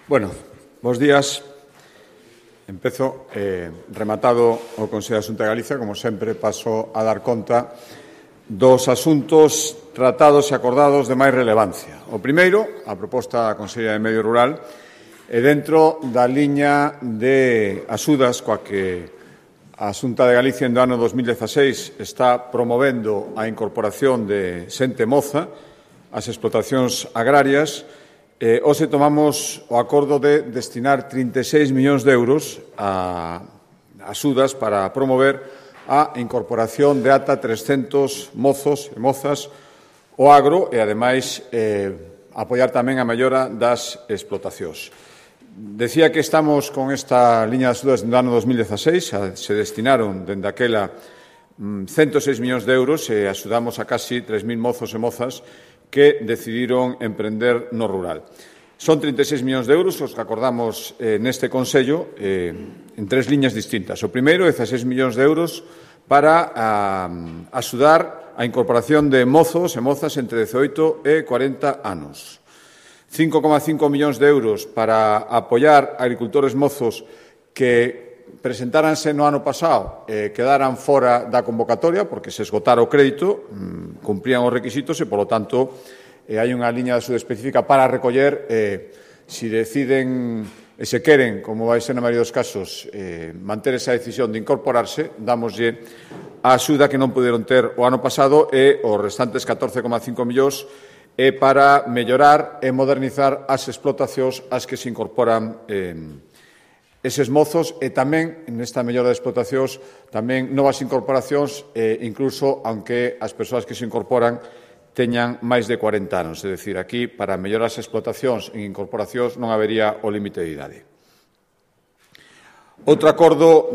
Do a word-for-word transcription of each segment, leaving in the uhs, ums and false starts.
Bueno, bos días. Empezo eh, rematado o Consello da Xunta de Galicia, como sempre, paso a dar conta dos asuntos tratados e acordados de máis relevancia. O primeiro, a proposta da Consellería de Medio Rural, e dentro da liña de axudas coa que a Xunta de Galicia en do ano dos mil dieciséis está promovendo a incorporación de xente moza ás explotacións agrarias. Eh, hoxe tomamos o acordo de destinar trinta e seis millóns de euros a axudas para promover a incorporación de ata trescentos mozos e mozas ao agro e, ademais, eh, apoiar tamén a mellora das explotacións. Decía que estamos con esta liña de axudas do ano dos mil dieciséis, se destinaron dende aquela ciento seis millóns de euros e axudamos a casi tres mil mozos e mozas que decidiron emprender no rural. Son trinta e seis millóns de euros os que acordamos eh, neste Consello eh, en tres liñas distintas. O primeiro, dezasseis millóns de euros para a, axudar a incorporación de mozos e mozas entre dezaoito e cuarenta anos. cinco coma cinco millóns de euros para apoiar a agricultores mozos que presentáranse no ano pasado e eh, quedaran fora da convocatoria porque se esgotara o crédito, mmm, cumprían os requisitos e, polo tanto, eh, hai unha liña de axuda específica para recoller eh, si deciden e se queren, como vai ser na maioría dos casos, eh, manter esa decisión de incorporarse, damoslle a axuda que non puderon ter o ano pasado e os restantes catorce coma cinco millóns é para mellorar e modernizar as explotacións ás que se incorporan eh, eses mozos e tamén, nesta mellora de explotacións, tamén novas incorporacións, eh, incluso aunque as persoas que se incorporan teñan máis de cuarenta anos. É dicir, aquí, para mellorar as explotacións en incorporacións non habería o límite de idade. Outro acordo,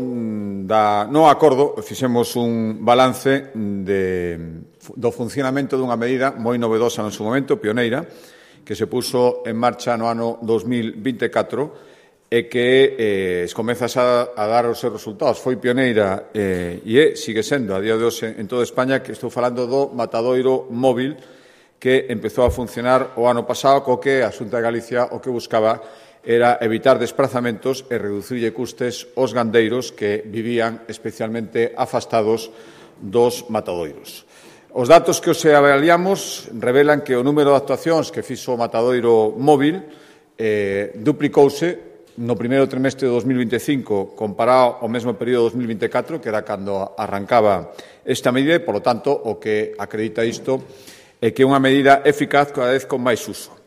da, non acordo, fixemos un balance de, do funcionamento dunha medida moi novedosa no seu momento, pioneira, que se puso en marcha no ano dos mil vinte e catro, e que eh, comeza a, a dar os seus resultados. Foi pioneira eh, e sigue sendo a día de hoxe en toda España, que estou falando do matadoiro móvil que empezou a funcionar o ano pasado, co que a Xunta de Galicia o que buscaba era evitar desplazamentos e reducirlle custes aos gandeiros que vivían especialmente afastados dos matadoiros. Os datos que os avaliamos revelan que o número de actuacións que fixo o matadoiro móvil eh, duplicouse no primeiro trimestre de dos mil vinte e cinco comparado ao mesmo período de dos mil vinte e catro, que era cando arrancaba esta medida, e, polo tanto, o que acredita isto é que é unha medida eficaz cada vez con máis uso.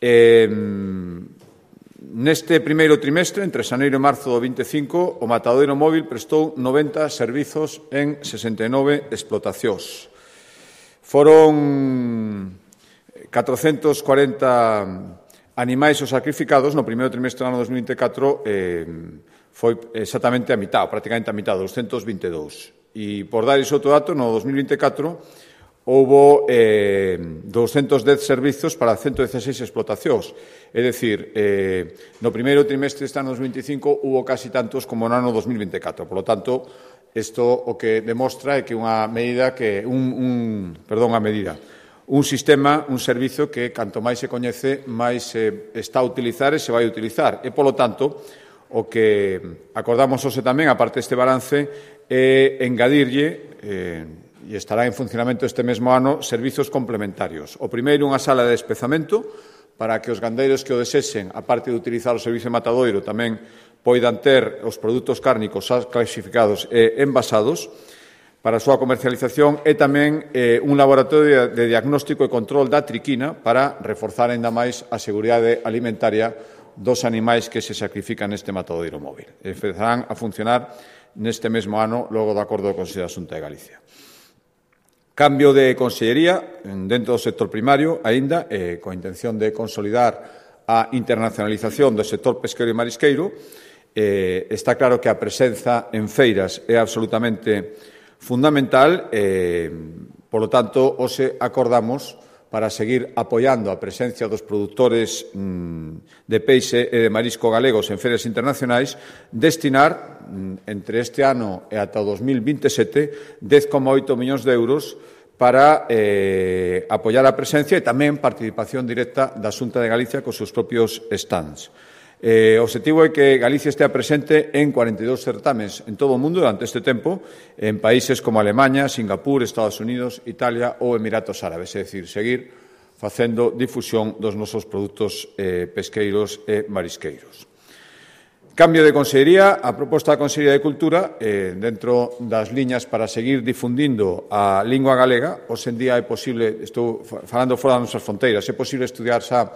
Eh, neste primeiro trimestre, entre xaneiro e marzo do vinte e cinco, o matadoiro móvil prestou noventa servizos en sesenta e nove explotacións. Foron catrocentos cuarenta animais os sacrificados no primeiro trimestre do ano dos mil vinte e catro, eh, foi exactamente a mitad, prácticamente a mitad, doscientos vinte e dous. E, por dar iso outro dato, no dos mil vinte e catro houbo eh, doscientos dez servizos para ciento dieciséis explotacións. É dicir, eh, no primeiro trimestre deste ano dos vinte e cinco hubo casi tantos como no ano dos mil vinte e catro. Por lo tanto, isto o que demostra é que unha medida que un, un perdón, a medida un sistema, un servizo que, canto máis se coñece, máis se está a utilizar e se vai a utilizar. E, polo tanto, o que acordamos hoxe tamén, aparte deste balance, é engadirlle, eh, e estará en funcionamento este mesmo ano, servizos complementarios. O primeiro, unha sala de despezamento, para que os gandeiros que o desexen, aparte de utilizar o servizo de matadoiro, tamén poidan ter os produtos cárnicos clasificados e envasados, para a súa comercialización, e tamén eh, un laboratorio de diagnóstico e control da triquina para reforzar ainda máis a seguridade alimentaria dos animais que se sacrifican neste matadoiro móvil. Empezarán a funcionar neste mesmo ano, logo do acordo do Consello da Xunta de Galicia. Cambio de consellería dentro do sector primario, aínda, eh, coa intención de consolidar a internacionalización do sector pesqueiro e marisqueiro. Eh, está claro que a presenza en feiras é absolutamente fundamental, eh, polo tanto, hoxe acordamos para seguir apoiando a presencia dos produtores mm, de peixe e de marisco galegos en feiras internacionais, destinar mm, entre este ano e ata o dos mil vinte e sete dez coma oito millóns de euros para eh, apoiar a presencia e tamén participación directa da Xunta de Galicia cos seus propios stands. Eh, o objetivo é que Galicia estea presente en cuarenta e dous certames en todo o mundo durante este tempo, en países como Alemaña, Singapur, Estados Unidos, Italia ou Emiratos Árabes, é dicir, seguir facendo difusión dos nosos produtos eh, pesqueiros e marisqueiros. Cambio de consellería, a proposta da Consellería de Cultura, eh, dentro das liñas para seguir difundindo a lingua galega, hoxe en día é posible, estou falando fora das nosas fronteiras, é posible estudiar xa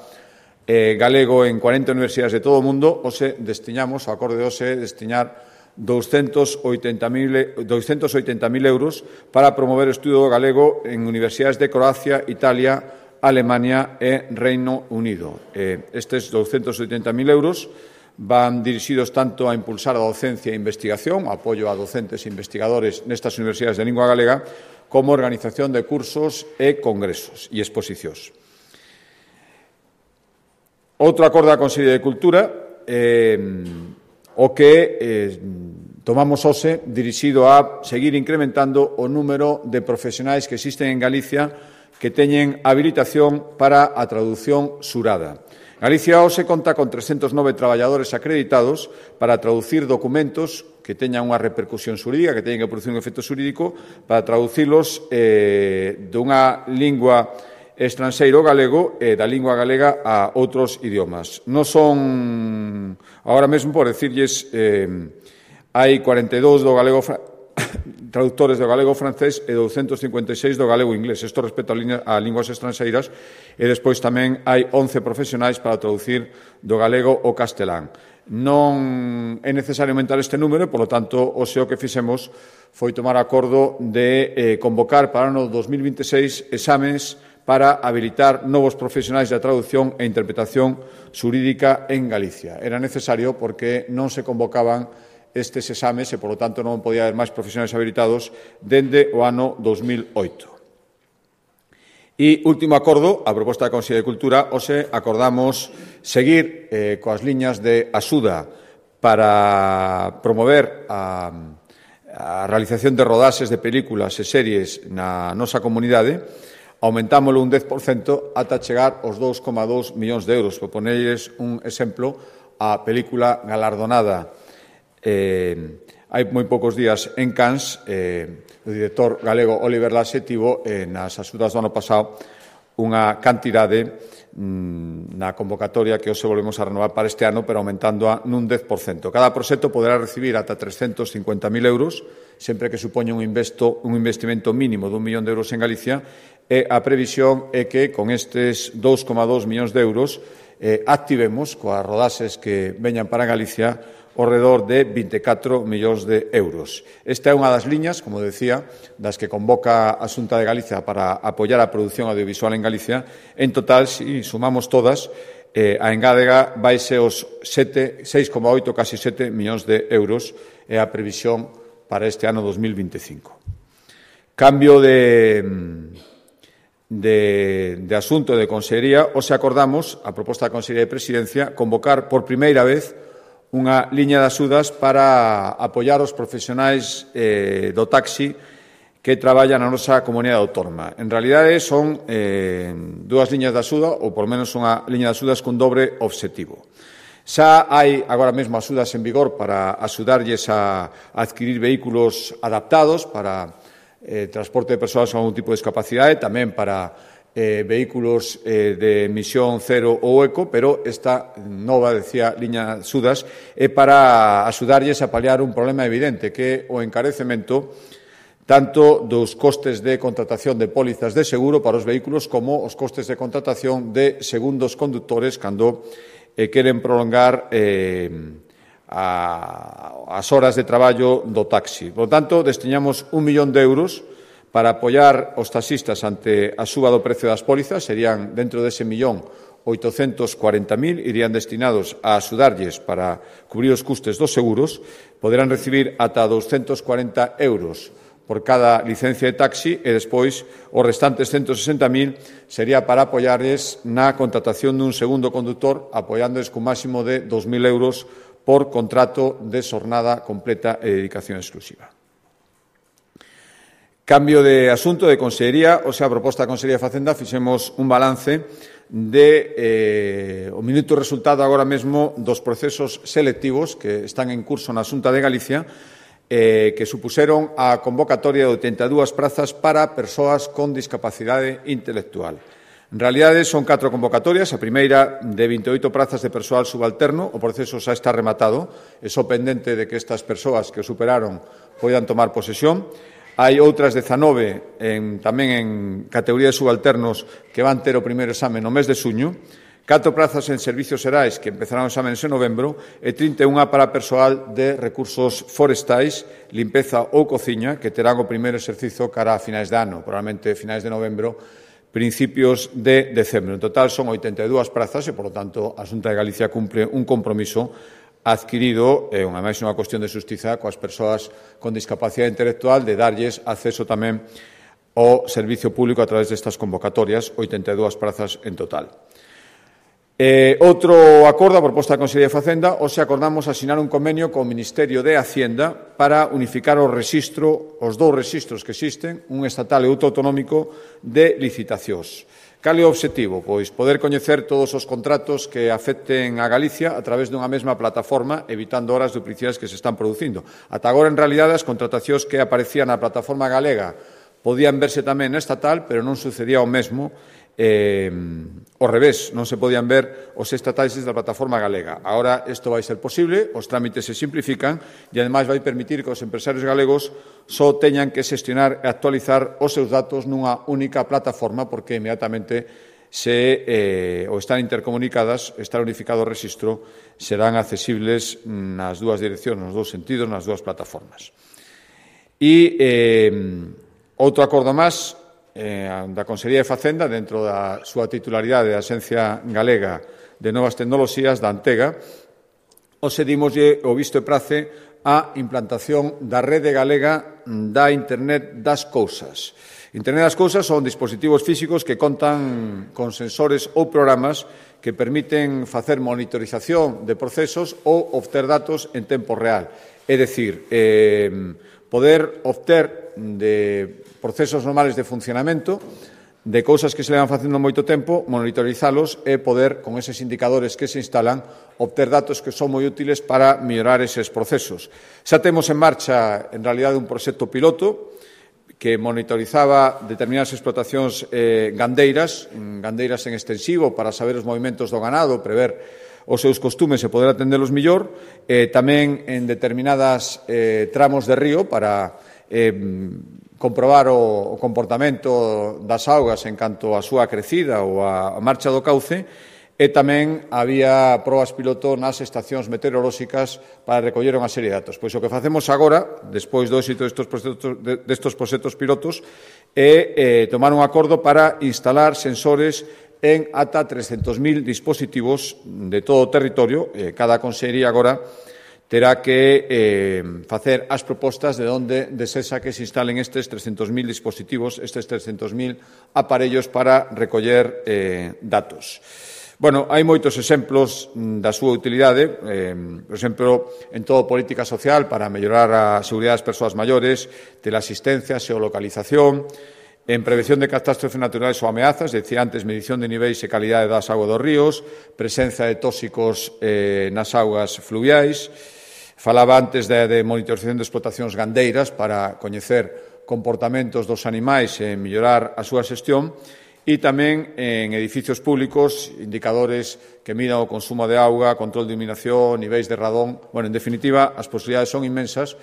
eh, galego en cuarenta universidades de todo o mundo, hoxe destiñamos, o acorde de hoxe, destiñar doscientos oitenta mil euros para promover o estudo galego en universidades de Croacia, Italia, Alemania e Reino Unido. Eh, estes doscientos oitenta mil euros van dirixidos tanto a impulsar a docencia e investigación, apoio a docentes e investigadores nestas universidades de lingua galega, como organización de cursos e congresos e exposicións. Outro acordo da Consellería de Cultura, eh, o que eh, tomamos hoxe dirixido a seguir incrementando o número de profesionais que existen en Galicia que teñen habilitación para a traducción xurada. Galicia hoxe conta con trescentos nove traballadores acreditados para traducir documentos que teñan unha repercusión xurídica, que teñen que producir un efecto xurídico, para traducilos eh, dunha lingua estranxeiro galego e da lingua galega a outros idiomas. Non son, agora mesmo, por decirlles, eh, hai cuarenta e dous do galego traductores do galego francés e doscientos cincuenta e seis do galego inglés. Isto respecto a linguas estranxeiras, e despois tamén hai once profesionais para traducir do galego ao castelán. Non é necesario aumentar este número, polo tanto, o xeo que fixemos foi tomar acordo de eh, convocar para o ano dos mil vinte e seis exames para habilitar novos profesionais da traducción e interpretación xurídica en Galicia. Era necesario porque non se convocaban estes exames e, polo tanto, non podía haber máis profesionais habilitados dende o ano dos mil oito. E, último acordo, a proposta da Consellería de Cultura, hoxe acordamos seguir eh, coas liñas de axuda para promover a, a realización de rodaxes de películas e series na nosa comunidade, aumentámoslo un dez por cento ata chegar aos dous coma dous millóns de euros. Por ponerles un exemplo, a película galardonada Eh, hai moi poucos días en Cannes, eh, o director galego Oliver Laxe tivo eh, nas axudas do ano pasado unha cantidade mm, na convocatoria que hoxe volvemos a renovar para este ano, pero aumentando nun dez por cento. Cada proxecto poderá recibir ata trescentos cincuenta mil euros, sempre que supoña un, investo, un investimento mínimo dun millón de euros en Galicia, e a previsión é que con estes dous coma dous millóns de euros eh, activemos coas rodaxes que veñan para Galicia ao redor de vinte e catro millóns de euros. Esta é unha das liñas, como decía, das que convoca a Xunta de Galicia para apoiar a produción audiovisual en Galicia. En total, se si sumamos todas, eh, a engádega vaise os seis coma oito, casi sete millóns de euros é a previsión para este ano dos mil vinte e cinco. Cambio de, de, de asunto de Consellería, hoxe acordamos, a proposta da Consellería de Presidencia, convocar por primeira vez unha liña de axudas para apoiar os profesionais eh, do taxi que traballan na nosa comunidade autónoma. En realidade, son eh, dúas liñas de axuda, ou por menos unha liña de axudas con dobre obxectivo. Xa hai agora mesmo axudas en vigor para axudarlles a adquirir vehículos adaptados para eh, transporte de persoas con algún tipo de discapacidade, tamén para Eh, vehículos eh, de emisión cero ou eco, pero esta nova, decía, liña de axudas é para axudarlles a paliar un problema evidente, que é o encarecemento tanto dos costes de contratación de pólizas de seguro para os vehículos como os costes de contratación de segundos conductores cando eh, queren prolongar eh, a, as horas de traballo do taxi. Por lo tanto, destiñamos un millón de euros para apoiar os taxistas ante a suba do precio das pólizas. Serían, dentro dese millón, oitocentos cuarenta mil, irían destinados a axudarlles para cubrir os custes dos seguros. Poderán recibir ata doscientos cuarenta euros por cada licencia de taxi e despois os restantes ciento sesenta mil sería para apoiarles na contratación dun segundo conductor, apoiándoles cun máximo de dos mil euros por contrato de xornada completa e dedicación exclusiva. Cambio de asunto de Consellería, o sea, a proposta da Consellería de Facenda, fixemos un balance de eh, o minuto resultado agora mesmo dos procesos selectivos que están en curso na Xunta de Galicia, eh, que supuseron a convocatoria de oitenta e dúas prazas para persoas con discapacidade intelectual. En realidade, son catro convocatorias. A primeira de vinte e oito prazas de persoal subalterno. O proceso xa está rematado. É só pendente de que estas persoas que o superaron poidan tomar posesión. Hai outras dezanove en, tamén en categoría de subalternos que van ter o primeiro exame no mes de xuño, catro prazas en servicios xerais que empezarán os exames en novembro e trinta e unha para persoal de recursos forestais, limpeza ou cociña, que terán o primeiro exercicio cara a finais de ano, probablemente finais de novembro, principios de decembro. En total son oitenta e dúas prazas e, por lo tanto, a Xunta de Galicia cumpre un compromiso adquirido, é unha máis unha cuestión de xustiza coas persoas con discapacidade intelectual, de darlles acceso tamén ao servicio público a través destas convocatorias, oitenta e dúas prazas en total. Eh, outro acordo, a proposta da Consellería de Facenda, hoxe acordamos asinar un convenio co Ministerio de Hacienda para unificar o rexistro, os dous rexistros que existen, un estatal e outro autonómico, de licitacións. Cal é o obxectivo? Pois poder coñecer todos os contratos que afecten a Galicia a través dunha mesma plataforma, evitando horas duplicidades que se están producindo. Ata agora, en realidade, as contratacións que aparecían na plataforma galega podían verse tamén na estatal, pero non sucedía o mesmo eh, ao revés, non se podían ver os estatais da plataforma galega. Agora isto vai ser posible, os trámites se simplifican e, ademais, vai permitir que os empresarios galegos só teñan que xestionar e actualizar os seus datos nunha única plataforma, porque inmediatamente se eh, ou están intercomunicadas, está unificado o rexistro, serán accesibles nas dúas direccións, nos dous sentidos, nas dúas plataformas. E eh, outro acordo máis, Eh, da Consellería de Facenda, dentro da súa titularidade da Axencia Galega de Novas Tecnoloxías, da Antega, os dimoslle o visto e prace a implantación da rede galega da Internet das Cousas. Internet das Cousas son dispositivos físicos que contan con sensores ou programas que permiten facer monitorización de procesos ou obter datos en tempo real. É dicir, eh, poder obter de procesos normales de funcionamento, de cousas que se levan facendo moito tempo, monitorizalos e poder, con eses indicadores que se instalan, obter datos que son moi útiles para mellorar eses procesos. Xa temos en marcha, en realidade, un proxecto piloto que monitorizaba determinadas explotacións eh, gandeiras, gandeiras en extensivo, para saber os movimentos do ganado, prever os seus costumes e poder atendelos mellor, eh, tamén en determinadas eh, tramos de río para eh, comprobar o, o comportamento das augas en canto a súa crecida ou a, a marcha do cauce, e tamén había probas piloto nas estacións meteorolóxicas para recoller unha serie de datos. Pois o que facemos agora, despois do éxito destes proxectos, destes proxectos pilotos, é eh, tomar un acordo para instalar sensores en ata trescentos mil dispositivos de todo o territorio. Eh, cada consellería agora terá que eh, facer as propostas de onde desexa que se instalen estes trescentos mil dispositivos, estes trescentos mil aparellos para recoller eh, datos. Bueno, hai moitos exemplos da súa utilidade, eh, por exemplo, en todo política social para mellorar a seguridade das persoas maiores, teleasistencia, xeolocalización, en prevención de catástrofes naturales ou ameazas, decía antes, medición de niveis e calidade das augas dos ríos, presenza de tóxicos eh, nas augas fluviais. Falaba antes de, de monitorización de explotacións gandeiras para coñecer comportamentos dos animais e mellorar a súa xestión, e tamén en edificios públicos, indicadores que midan o consumo de auga, control de iluminación, niveis de radón. Bueno, en definitiva, as posibilidades son inmensas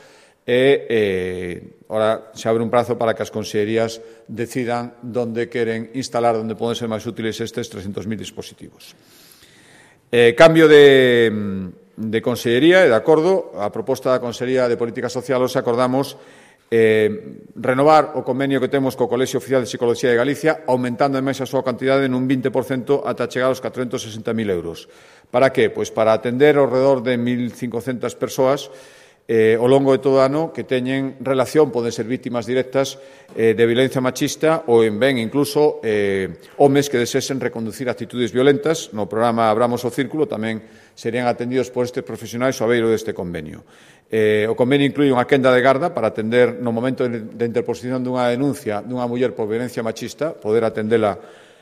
e eh, ahora se abre un prazo para que as consellerías decidan onde queren instalar, onde poden ser máis útiles estes trescentos mil dispositivos. Eh, cambio de, de consellería e de acordo, a proposta da Consellería de Política Social os acordamos eh, renovar o convenio que temos co Colexio Oficial de Psicología de Galicia, aumentando en máis a súa cantidade nun vinte por cento ata chegar aos catrocentos sesenta mil euros. Para que? Pois para atender ao redor de mil cincocentas persoas eh, ao longo de todo o ano que teñen relación, poden ser vítimas directas eh, de violencia machista ou en ben incluso eh, homes que desesen reconducir actitudes violentas. No programa Abramos o Círculo tamén serían atendidos por estes profesionais ao beiro deste convenio. Eh, o convenio inclui unha quenda de garda para atender no momento de interposición dunha denuncia dunha muller por violencia machista, poder atendela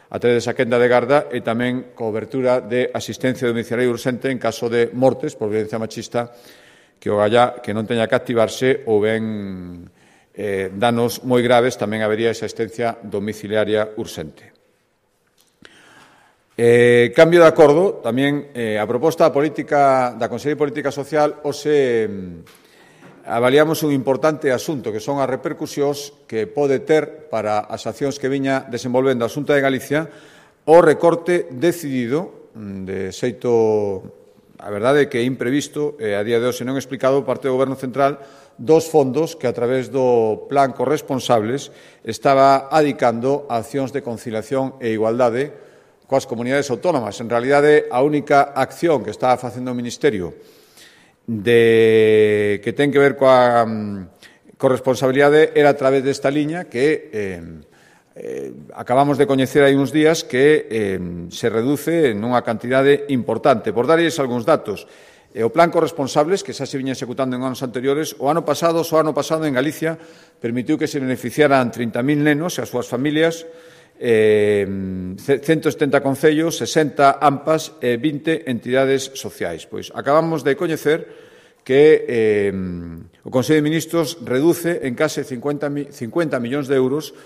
a través desa quenda de garda e tamén cobertura de asistencia domiciliaria urxente en caso de mortes por violencia machista que o galla que non teña que activarse ou ben eh, danos moi graves, tamén habería esa asistencia domiciliaria urxente. Eh, cambio de acordo, tamén eh, a proposta da, política, da Consellería de Política Social hoxe eh, avaliamos un importante asunto que son as repercusións que pode ter para as accións que viña desenvolvendo a Xunta de Galicia o recorte decidido de xeito, a verdade é que é imprevisto, e a día de hoxe non explicado por parte do Goberno Central, dos fondos que a través do Plan Corresponsables estaba adicando a accións de conciliación e igualdade coas comunidades autónomas. En realidade, a única acción que estaba facendo o Ministerio de, que ten que ver coa um, corresponsabilidade era a través desta liña que eh, eh, acabamos de coñecer hai uns días que eh, se reduce nunha cantidade importante. Por darlles algúns datos, eh, o plan corresponsables, que xa se viña executando en anos anteriores, o ano pasado, só ano pasado en Galicia, permitiu que se beneficiaran trinta mil nenos e as súas familias, eh, ciento setenta concellos, sesenta A M P As e vinte entidades sociais. Pois acabamos de coñecer que eh, o Consello de Ministros reduce en case cincuenta millóns de euros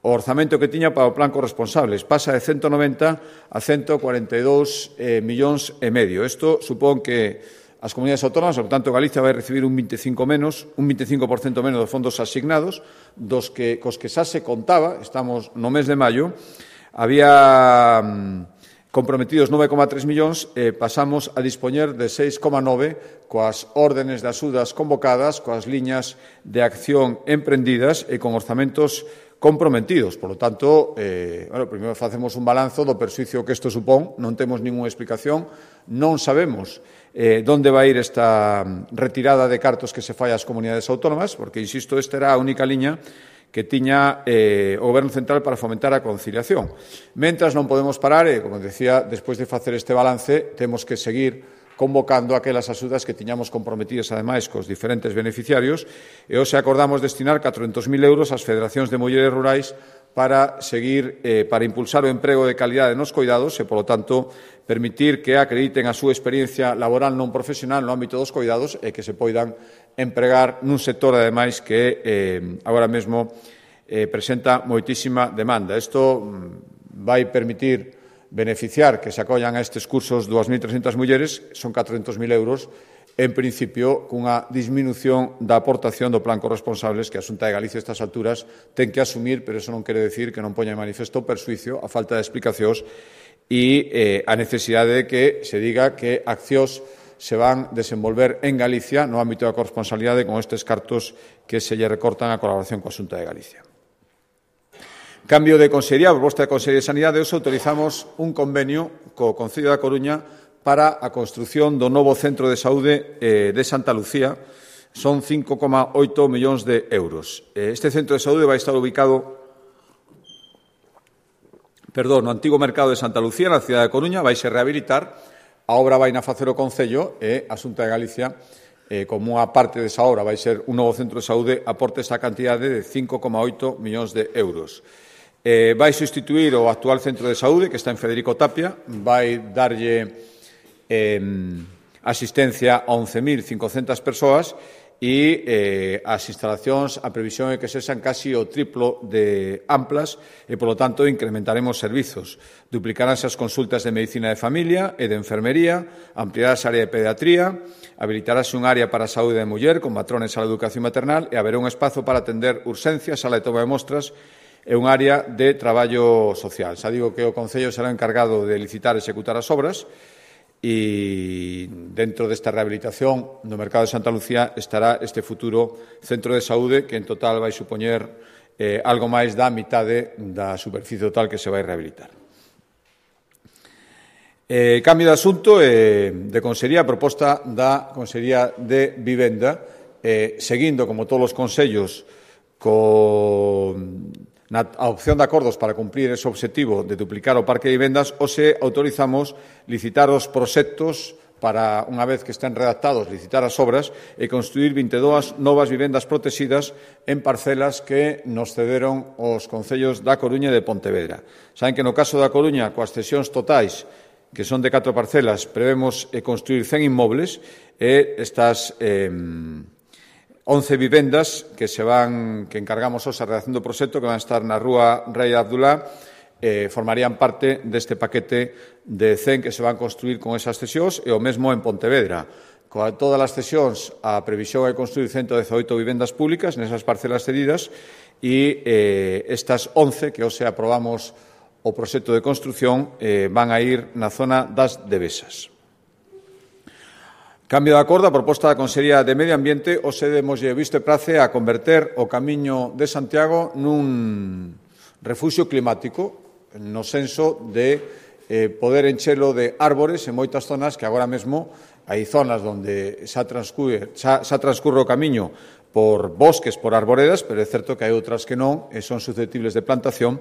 o orzamento que tiña para o plan corresponsables. Pasa de ciento noventa a ciento cuarenta e dous eh, millóns e medio. Isto supón que as comunidades autónomas, por tanto, Galicia vai recibir un veinticinco menos, un veinticinco por cento menos dos fondos asignados, dos que cos que xa se contaba, estamos no mes de maio, había mm, comprometidos nove coma tres millóns, eh, pasamos a dispoñer de seis coma nove coas órdenes de axudas convocadas, coas liñas de acción emprendidas e con orzamentos comprometidos. Por lo tanto, eh, bueno, primeiro facemos un balanzo do perxuízo que isto supón, non temos ningunha explicación, non sabemos eh, onde vai ir esta retirada de cartos que se fai ás comunidades autónomas, porque, insisto, esta era a única liña que tiña eh, o Goberno Central para fomentar a conciliación. Mentras non podemos parar, e, como decía, despois de facer este balance, temos que seguir convocando aquelas axudas que tiñamos comprometidas, ademais, cos diferentes beneficiarios, e hoxe acordamos destinar catrocentos mil euros ás federacións de mulleres rurais para seguir, eh, para impulsar o emprego de calidade nos coidados e, polo tanto, permitir que acrediten a súa experiencia laboral non profesional no ámbito dos coidados e que se poidan empregar nun sector, ademais, que eh, agora mesmo eh, presenta moitísima demanda. Isto mm, vai permitir beneficiar que se acollan a estes cursos dúas mil trescentas mulleres, son catrocentos mil euros, en principio, cunha disminución da aportación do plan corresponsables que a Xunta de Galicia a estas alturas ten que asumir, pero eso non quere decir que non poña en manifesto o perxuízo, a falta de explicacións e eh, a necesidade de que se diga que accións se van desenvolver en Galicia no ámbito da corresponsabilidade con estes cartos que se lle recortan a colaboración coa Xunta de Galicia. Cambio de Consellería, proposta de Consellería de Sanidade, hoxe autorizamos un convenio co Concello da Coruña para a construción do novo centro de saúde eh, de Santa Lucía. Son cinco coma oito millóns de euros. Este centro de saúde vai estar ubicado perdón, no antigo mercado de Santa Lucía, na cidade de Coruña, vai se rehabilitar. A obra vai na facer o Concello e a Xunta de Galicia, eh, como unha parte desa obra vai ser un novo centro de saúde, aporte esa cantidade de cinco coma oito millóns de euros. Eh, vai sustituir o actual centro de saúde que está en Federico Tapia, vai darlle eh, asistencia a once mil cincocentas persoas e eh, as instalacións, a previsión é que sexan casi o triplo de amplas e, polo tanto, incrementaremos servizos. Duplicaránse as consultas de medicina de familia e de enfermería, ampliarás a área de pediatría, habilitarase un área para a saúde da muller con matrones á educación maternal e haberá un espazo para atender urxencias, sala de toma de mostras e un área de traballo social. Xa digo que o Concello será encargado de licitar e executar as obras e dentro desta rehabilitación no mercado de Santa Lucía estará este futuro centro de saúde que en total vai supoñer eh, algo máis da mitade da superficie total que se vai rehabilitar. Eh, cambio de asunto eh, de Consellería, proposta da Consellería de Vivenda eh, seguindo, como todos os consellos, con na opción de acordos para cumprir ese objetivo de duplicar o parque de vivendas, ou se autorizamos licitar os proxectos para, unha vez que estén redactados, licitar as obras e construir vinte e dúas novas vivendas protegidas en parcelas que nos cederon os concellos da Coruña e de Pontevedra. Saben que no caso da Coruña, coas cesións totais, que son de catro parcelas, prevemos construir cen inmobles e estas eh, once vivendas que se van, que encargamos hoxe a redacción do proxecto, que van a estar na rúa Rei Abdulá, eh, formarían parte deste paquete de cen que se van construir con esas cesións e o mesmo en Pontevedra. Con todas as cesións, a previsión é construir ciento dezaoito vivendas públicas nesas parcelas cedidas e eh, estas once que hoxe aprobamos o proxecto de construción eh, van a ir na zona das Devesas. Cambio de acordo, a proposta da Consellería de Medio Ambiente, hoxe demoslle visto e prace a converter o Camiño de Santiago nun refuxio climático, no senso de eh, poder enchelo de árbores en moitas zonas que agora mesmo hai zonas onde xa transcurre, xa, xa transcurre o camiño por bosques, por arboredas, pero é certo que hai outras que non e son susceptibles de plantación.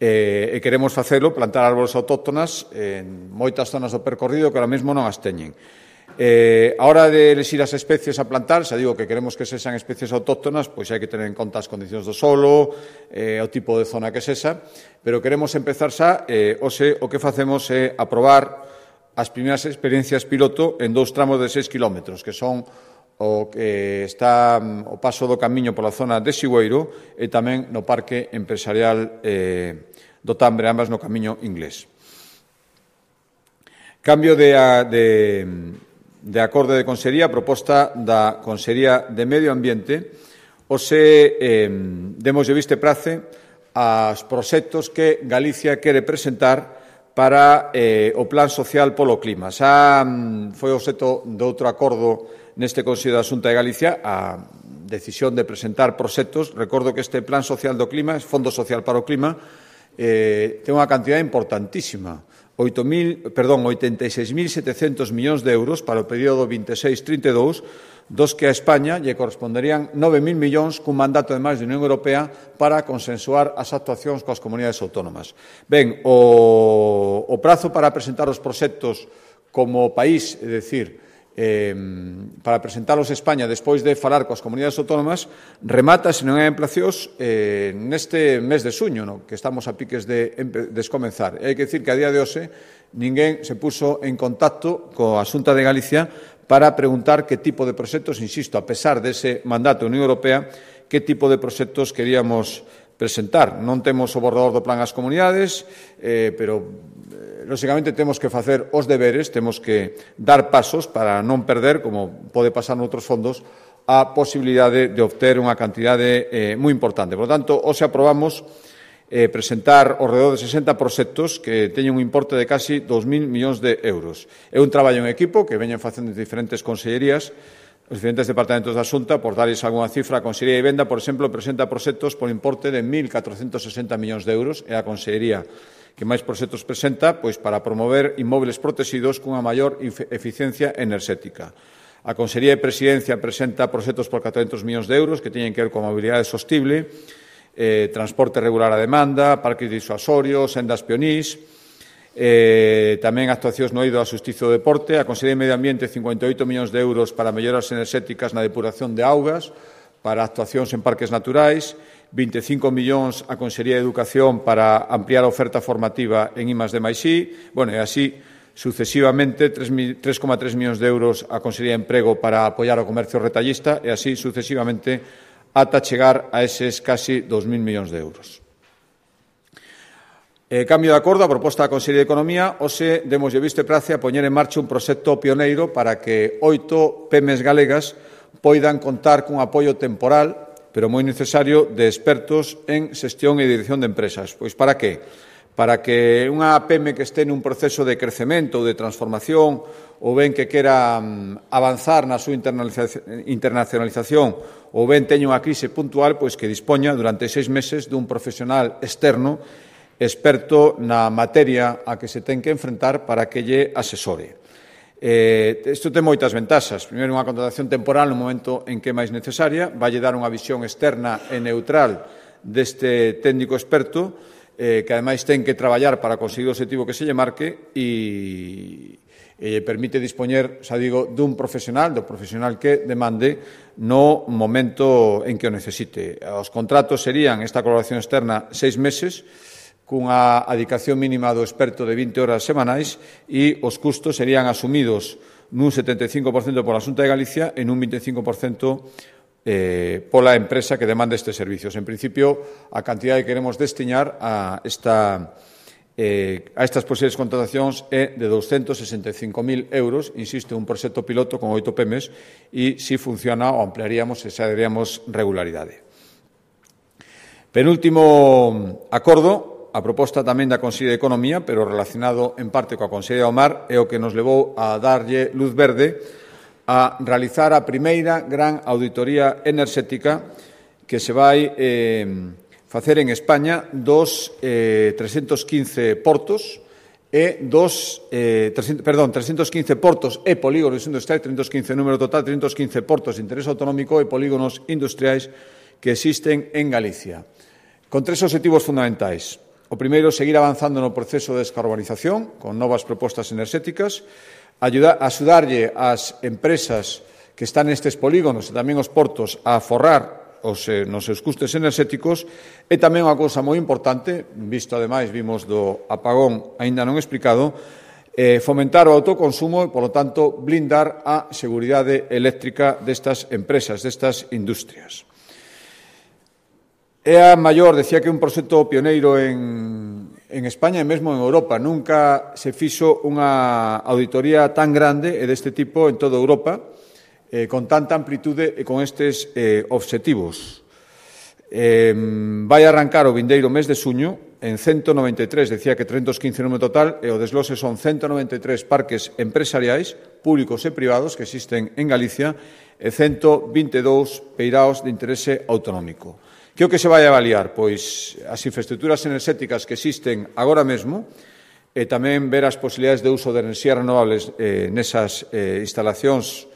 Eh, e queremos facelo, plantar árbores autóctonas en moitas zonas do percorrido que ahora mesmo non as teñen. Eh, a hora de elegir as especies a plantar, xa digo que queremos que sexan especies autóctonas, pois hai que tener en conta as condicións do solo, eh, o tipo de zona que sexa, pero queremos empezar xa, eh, hoxe o que facemos é aprobar as primeiras experiencias piloto en dous tramos de seis kilómetros, que son o que está o paso do camiño pola zona de Sigüeiro e tamén no Parque Empresarial eh, do Tambre, ambas no camiño inglés. Cambio de, de, de acordo de Consellería, proposta da Consellería de Medio Ambiente, hoxe eh, demos de viste prace aos proxectos que Galicia quere presentar para eh, o Plan Social polo Clima. Xa foi obxecto de outro acordo neste Consello da Xunta de Galicia a decisión de presentar proxectos. Recordo que este Plan Social do Clima, Fondo Social para o Clima, eh, ten unha cantidad importantísima, oitenta e seis mil setecentos millóns de euros para o período vinte e seis trinta e dous, dos que a España lle corresponderían nove mil millóns cun mandato de máis de Unión Europea para consensuar as actuacións coas comunidades autónomas. Ben, o, o prazo para presentar os proxectos como país, é dicir, Eh, para presentalos a España despois de falar coas comunidades autónomas, remata, se non é en plazos, eh, neste mes de suño, no? Que estamos a piques de descomenzar. E hai que dicir que a día de hoxe ninguén se puso en contacto coa Xunta de Galicia para preguntar que tipo de proxectos, insisto, a pesar dese mandato da Unión Europea, que tipo de proxectos queríamos presentar. Non temos o borrador do plan ás comunidades, eh, pero lóxicamente temos que facer os deberes, temos que dar pasos para non perder, como pode pasar noutros fondos, a posibilidade de obter unha cantidade eh, moi importante. Por lo tanto, hoxe aprobamos eh, presentar ao redor de sesenta proxectos que teñen un importe de casi dos mil millóns de euros. É un traballo en equipo que veñen facendo diferentes consellerías, os diferentes departamentos da Xunta. Por darles algunha cifra, a Consellería de Vivenda, por exemplo, presenta proxectos por importe de mil catrocentos sesenta millóns de euros. É a Consellería que máis proxectos presenta, pois para promover inmobles protegidos cunha maior eficiencia enerxética. A Consellería de Presidencia presenta proxectos por catrocentos millóns de euros que teñen que ver coa mobilidade sostible, eh, transporte regular a demanda, parques disuasorios, sendas pionís, eh, tamén actuacións no eido da Xustiza e do Deporte. A Consellería de Medio Ambiente, cincuenta e oito millóns de euros para melloras enerxéticas na depuración de augas, para actuacións en parques naturais, vinte e cinco millóns a Consellería de Educación para ampliar a oferta formativa en I más D máis I, bueno, e así sucesivamente, tres coma tres millóns de euros a Consellería de Emprego para apoiar o comercio retallista e así sucesivamente ata chegar a eses casi dos mil millóns de euros. Eh, cambio de acordo, a proposta da Consellería de Economía, hoxe demos de visto e prace a poñer en marcha un proxecto pioneiro para que oito pemes galegas poidan contar cun apoio temporal, pero moi necesario, de expertos en xestión e dirección de empresas. Pois para que? Para que unha P M que este nun proceso de crecemento ou de transformación ou ben que quera avanzar na súa internacionalización ou ben teña unha crise puntual, pois que dispoña durante seis meses dun profesional externo experto na materia a que se ten que enfrentar para que lle asesore. Eh, isto ten moitas ventaxas. Primeiro, unha contratación temporal no momento en que é máis necesaria, vai dar unha visión externa e neutral deste técnico experto, eh, que ademais ten que traballar para conseguir o objetivo que se lle marque e, e permite dispoñer, xa digo, dun profesional, do profesional que demande no momento en que o necesite. Os contratos serían, esta colaboración externa, seis meses, cunha adicación mínima do experto de vinte horas semanais e os custos serían asumidos nun setenta e cinco por cento pola Xunta de Galicia e nun vinte e cinco por cento eh, pola empresa que demanda estes servicios. En principio, a cantidad que queremos destiñar a, esta, eh, a estas posibles contratacións é de doscientos sesenta e cinco mil euros, insisto, un proxecto piloto con oito P M Es e, se funciona, o ampliaríamos e xa daríamos regularidade. Penúltimo acordo, a proposta tamén da Consellería de Economía, pero relacionado en parte coa Consellería do Mar, é o que nos levou a darlle luz verde a realizar a primeira gran auditoría enerxética que se vai eh, facer en España dos eh, trescentos quince portos e dos, eh, trescentos, perdón, trescentos quince portos e polígonos industriais, trescentos quince número total, trescentos quince portos de interés autonómico e polígonos industriais que existen en Galicia, con tres obxectivos fundamentais. O primeiro, seguir avanzando no proceso de descarbonización con novas propostas enerxéticas, ayudar, axudarlle ás empresas que están nestes polígonos e tamén os portos a forrar os, eh, nos seus custes enerxéticos e tamén unha cousa moi importante, visto ademais, vimos do apagón aínda non explicado, eh, fomentar o autoconsumo e, polo tanto, blindar a seguridade eléctrica destas empresas, destas industrias. É a maior, decía que é un proxecto pioneiro en, en España e mesmo en Europa. Nunca se fixo unha auditoría tan grande e deste tipo en toda Europa, eh, con tanta amplitude e con estes eh, obxectivos. Eh, vai arrancar o vindeiro mes de xuño en ciento noventa e tres, decía que trescentos quince número total, e o desglose son ciento noventa e tres parques empresariais, públicos e privados, que existen en Galicia, e ciento vinte e dous peiraos de interese autonómico. Que o que se vai a avaliar? Pois as infraestructuras enerxéticas que existen agora mesmo e tamén ver as posibilidades de uso de enerxías renovables eh, nesas eh, instalacións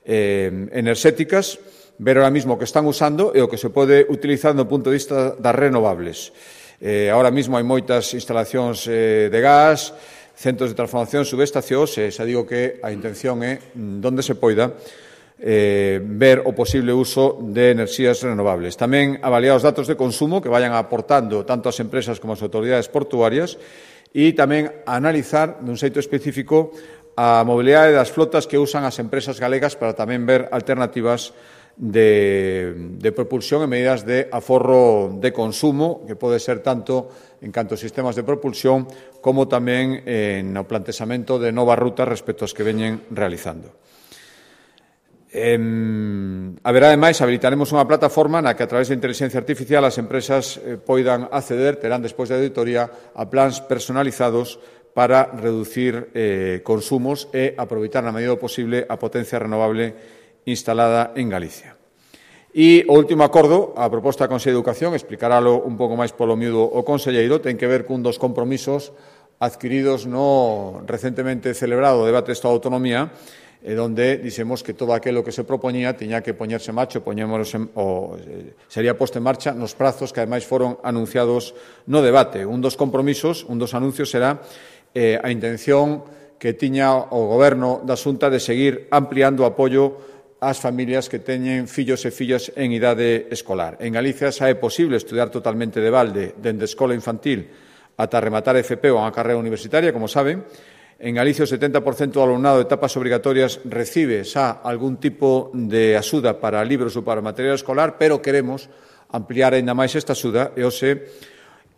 eh, enerxéticas, ver ahora mesmo o que están usando e o que se pode utilizar do punto de vista das renovables. Eh, ahora mesmo hai moitas instalacións eh, de gas, centros de transformación, subestacións, e xa digo que a intención é, donde se poida, Eh, ver o posible uso de enerxías renovables. Tamén avaliar os datos de consumo que vayan aportando tanto as empresas como as autoridades portuarias e tamén analizar dun xeito específico a mobilidade das flotas que usan as empresas galegas para tamén ver alternativas de, de propulsión e medidas de aforro de consumo, que pode ser tanto en canto a sistemas de propulsión como tamén en o plantexamento de novas rutas respecto aos que veñen realizando. Eh, haberá, ademais, habilitaremos unha plataforma na que, a través de inteligencia artificial, as empresas eh, poidan acceder, terán despois da auditoría, a plans personalizados para reducir eh, consumos e aproveitar na medida do posible a potencia renovable instalada en Galicia. E o último acordo, a proposta da Consellería de Educación, explicarálo un pouco máis polo miúdo o conselleiro, ten que ver cun dos compromisos adquiridos no recentemente celebrado debate do Estado de Autonomía, e donde dixemos que todo aquilo que se propoñía tiña que poñerse en marcha, en, o sería posto en marcha nos prazos que ademais foron anunciados no debate. Un dos compromisos, un dos anuncios será eh, a intención que tiña o Goberno da Xunta de seguir ampliando o apoio ás familias que teñen fillos e fillas en idade escolar. En Galicia xa é posible estudiar totalmente de balde dende escola infantil ata rematar F P ou unha carreira universitaria, como saben. En Galicia, o setenta por cento do alumnado de etapas obrigatorias recibe xa algún tipo de axuda para libros ou para material escolar, pero queremos ampliar aínda máis esta axuda e hoxe,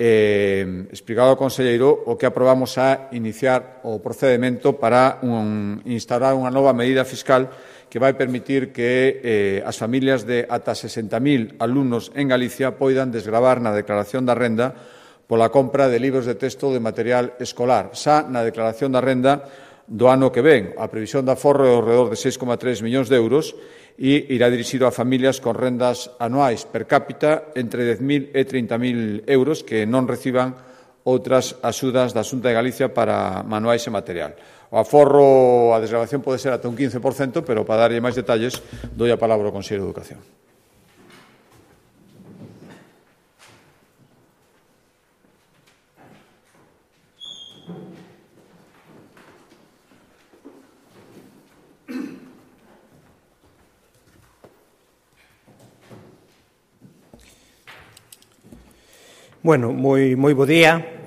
eh, explicado ao conselleiro, o que aprobamos a iniciar o procedimento para un, instaurar unha nova medida fiscal que vai permitir que eh, as familias de ata sesenta mil alumnos en Galicia poidan desgravar na declaración da renda pola compra de libros de texto de material escolar. Xa na declaración da renda do ano que ven, a previsión de aforro é ao redor de seis coma tres millóns de euros e irá dirixido a familias con rendas anuais per cápita entre dez mil e trinta mil euros que non reciban outras axudas da Xunta de Galicia para manuais e material. O aforro, a desgravación pode ser ata un quince por cento, pero para darlle máis detalles, doi a palabra ao Consello de Educación. Bueno, moi, moi bo día.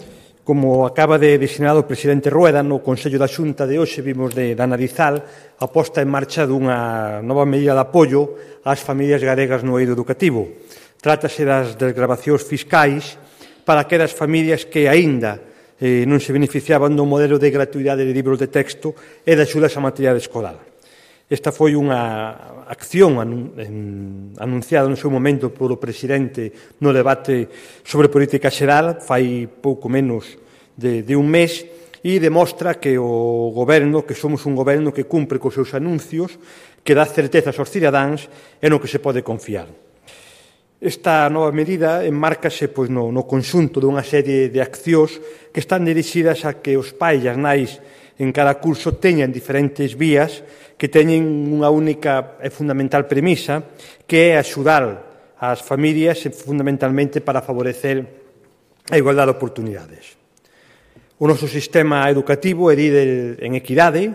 Como acaba de designar o presidente Rueda, no Consello da Xunta de hoxe vimos de, de analizar a posta en marcha dunha nova medida de apoio ás familias galegas no eido educativo. Trátase das desgravacións fiscais para aquelas familias que aínda eh, non se beneficiaban do modelo de gratuidade de libros de texto e de axudas a material escolar. Esta foi unha acción anunciada no seu momento polo presidente no debate sobre política xeral, fai pouco menos de, de un mes, e demostra que o goberno, que somos un goberno que cumpre cos seus anuncios, que dá certezas aos cidadáns e no que se pode confiar. Esta nova medida enmárcase pois, no, no conxunto dunha serie de accións que están dirixidas a que os pais e as nais en cada curso teñan diferentes vías que teñen unha única e fundamental premisa, que é axudar ás familias fundamentalmente para favorecer a igualdade de oportunidades. O noso sistema educativo é líder en equidade.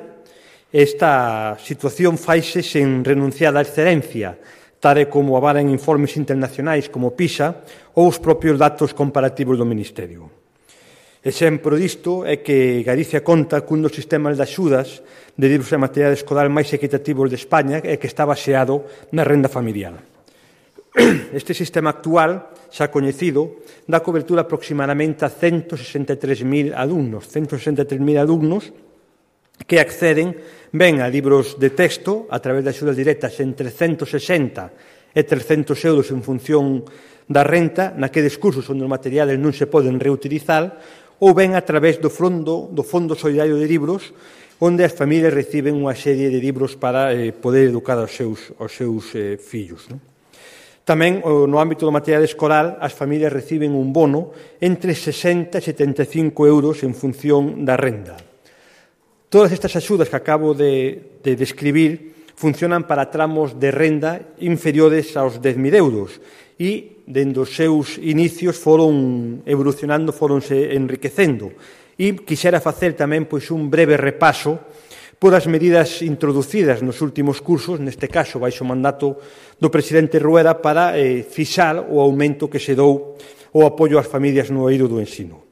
Esta situación faise sen renunciar á excelencia, tal e como avalan informes internacionais como PISA ou os propios datos comparativos do Ministerio. Exemplo disto é que Galicia conta cun dos sistemas de axudas de libros e material escolar máis equitativos de España e que está baseado na renda familiar. Este sistema actual, xa coñecido, dá cobertura aproximadamente a ciento sesenta e tres mil alumnos, ciento sesenta e tres mil alumnos que acceden ben a libros de texto a través de axudas directas entre ciento sesenta e trescentos euros en función da renta naqueles cursos onde os materiales non se poden reutilizar, ou ben a través do Fondo, do Fondo Solidario de Libros, onde as familias reciben unha serie de libros para eh, poder educar aos seus, aos seus eh, fillos. Non? Tamén, no ámbito do material escolar, as familias reciben un bono entre sesenta e setenta e cinco euros en función da renda. Todas estas axudas que acabo de, de describir funcionan para tramos de renda inferiores aos dez mil euros e, dende os seus inicios, foron evolucionando, foronse enriquecendo. E quixera facer tamén pois, un breve repaso por as medidas introducidas nos últimos cursos, neste caso, baixo o mandato do presidente Rueda, para eh, fixar o aumento que se dou o apoio ás familias no eido do ensino.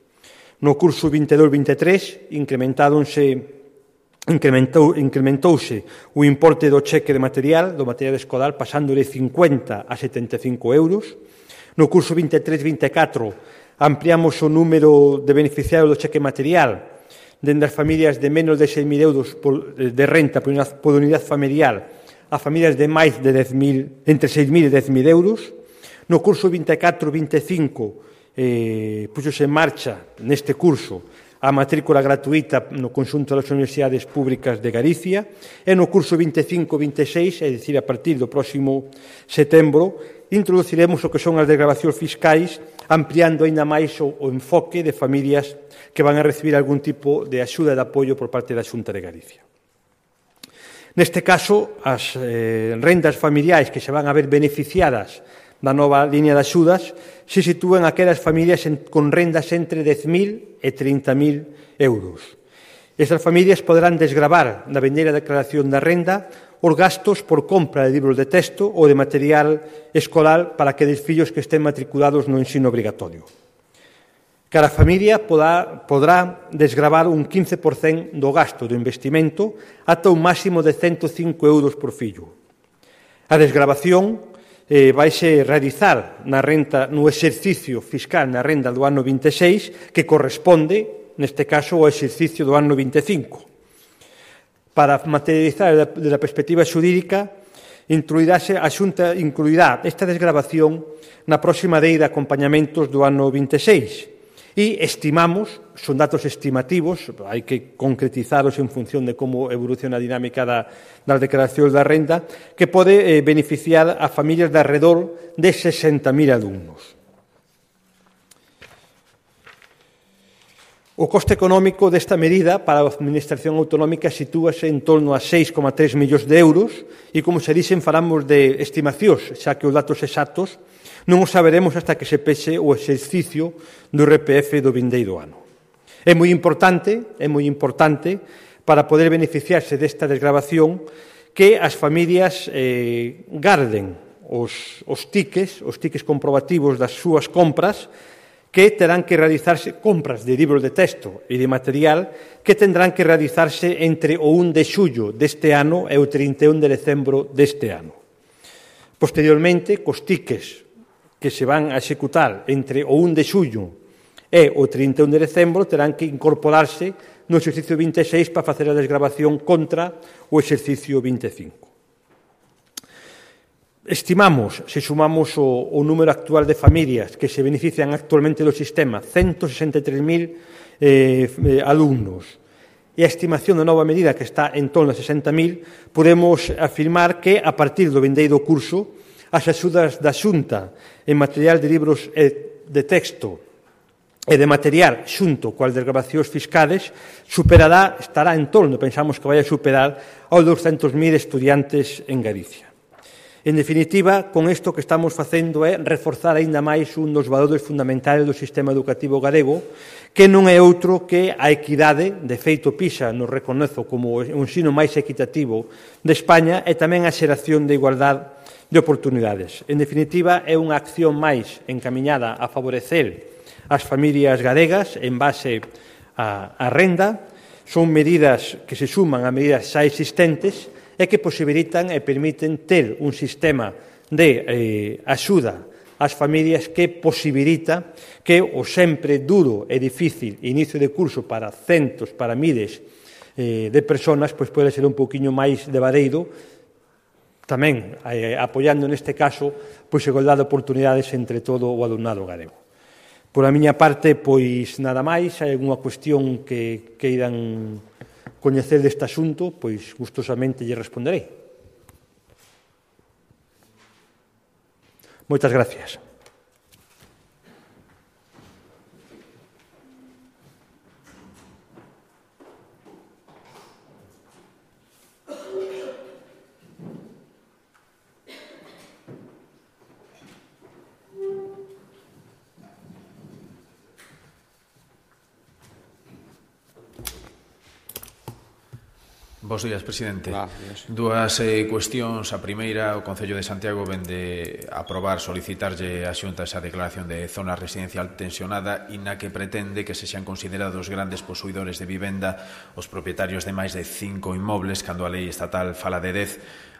No curso vinte e dous vinte e tres, incrementáronse Incrementou, incrementouse o importe do cheque de material, do material escolar, pasando de cincuenta a setenta e cinco euros. No curso vinte e tres vinte e catro ampliamos o número de beneficiarios do cheque material dende as familias de menos de seis mil euros de renta por unidade familiar a familias de máis de dez mil, entre seis mil e dez mil euros. No curso vinte e catro vinte e cinco eh, puxose en marcha neste curso a matrícula gratuita no conxunto das universidades públicas de Galicia e no curso vinte e cinco vinte e seis, é dicir, a partir do próximo setembro, introduciremos o que son as desgravacións fiscais, ampliando aínda máis o, o enfoque de familias que van a recibir algún tipo de axuda e de apoio por parte da Xunta de Galicia. Neste caso, as eh, rendas familiares que se van a ver beneficiadas da nova línea de axudas se sitúan aquelas familias en, con rendas entre dez mil e trinta mil euros. Estas familias poderán desgravar na vindeira declaración da renda os gastos por compra de libros de texto ou de material escolar para aqueles fillos que estén matriculados no ensino obrigatorio. Cada familia podrá, podrá desgravar un quince por cento do gasto do investimento ata un máximo de ciento cinco euros por fillo. A desgravación Eh, vaise realizar na renta, no exercicio fiscal na renda do ano vinte e seis, que corresponde, neste caso, ao exercicio do ano vinte e cinco. Para materializar desde a perspectiva xurídica, incluirase, a Xunta incluirá esta desgravación na próxima lei de acompañamentos do ano vinte e seis. E estimamos, son datos estimativos, hai que concretizaros en función de como evoluciona a dinámica da, das declaracións da renda, que pode eh, beneficiar a familias de alrededor de sesenta mil alumnos. O coste económico desta medida para a Administración Autonómica sitúase en torno a seis coma tres millóns de euros e, como se dixen, falamos de estimacións, xa que os datos exactos non os saberemos hasta que se peche o exercicio do R P F do vindeiro ano. É moi importante, é moi importante para poder beneficiarse desta desgravación que as familias eh, garden os, os tiques, os tiques comprobativos das súas compras, que terán que realizarse compras de libros de texto e de material que tendrán que realizarse entre o primeiro de xullo deste ano e o trinta e un de decembro deste ano. Posteriormente, cos tiques que se van a executar entre o primeiro de xullo e o trinta e un de decembro terán que incorporarse no exercicio vinte e seis para facer a desgravación contra o exercicio vinte e cinco. Estimamos, se sumamos o, o número actual de familias que se benefician actualmente do sistema, ciento sesenta e tres mil eh, eh, alumnos, e a estimación da nova medida que está en torno a sesenta mil, podemos afirmar que a partir do vindeiro curso as axudas da Xunta en material de libros de texto e de material xunto coas desgravacións fiscales superará, estará en torno, pensamos que vai a superar aos doscientos mil estudiantes en Galicia. En definitiva, con isto que estamos facendo é reforzar aínda máis un dos valores fundamentais do sistema educativo galego, que non é outro que a equidade. De feito, PISA nos reconoce como o ensino máis equitativo de España e tamén a xeración de igualdade de oportunidades. En definitiva, é unha acción máis encamiñada a favorecer as familias galegas en base á renda. Son medidas que se suman a medidas xa existentes e que posibilitan e permiten ter un sistema de eh, axuda ás familias que posibilita que o sempre duro e difícil inicio de curso para centos, para miles eh, de personas, pois pode ser un pouquiño máis levadeiro, tamén eh, apoiando neste caso pois igualdade de oportunidades entre todo o alumnado galego. Por a miña parte, pois nada máis. Hai algunha cuestión que queiran coñecer deste asunto, pois gustosamente lle responderei. Moitas gracias. Bos días, presidente. Ah, yes. Dúas eh, cuestións. A primeira, o Concello de Santiago vende aprobar, solicitarlle a Xunta esa declaración de zona residencial tensionada e na que pretende que se xan considerados grandes posuidores de vivenda os propietarios de máis de cinco inmobles, cando a lei estatal fala de dez.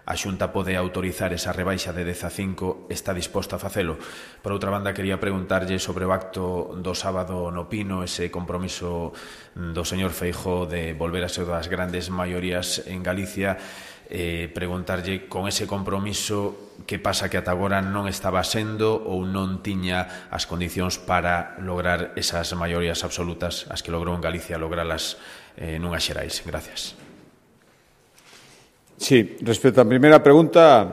A Xunta pode autorizar esa rebaixa de dez a cinco, está disposta a facelo. Por outra banda, quería preguntarlle sobre o acto do sábado no Pino, ese compromiso do señor Feijóo de volver a ser das grandes maiorías en Galicia, eh, preguntarlle con ese compromiso que pasa que ata agora non estaba sendo ou non tiña as condicións para lograr esas maiorías absolutas, as que logrou en Galicia, logralas eh, nunhas xerais. Gracias. Sí, respecto á primeira pregunta,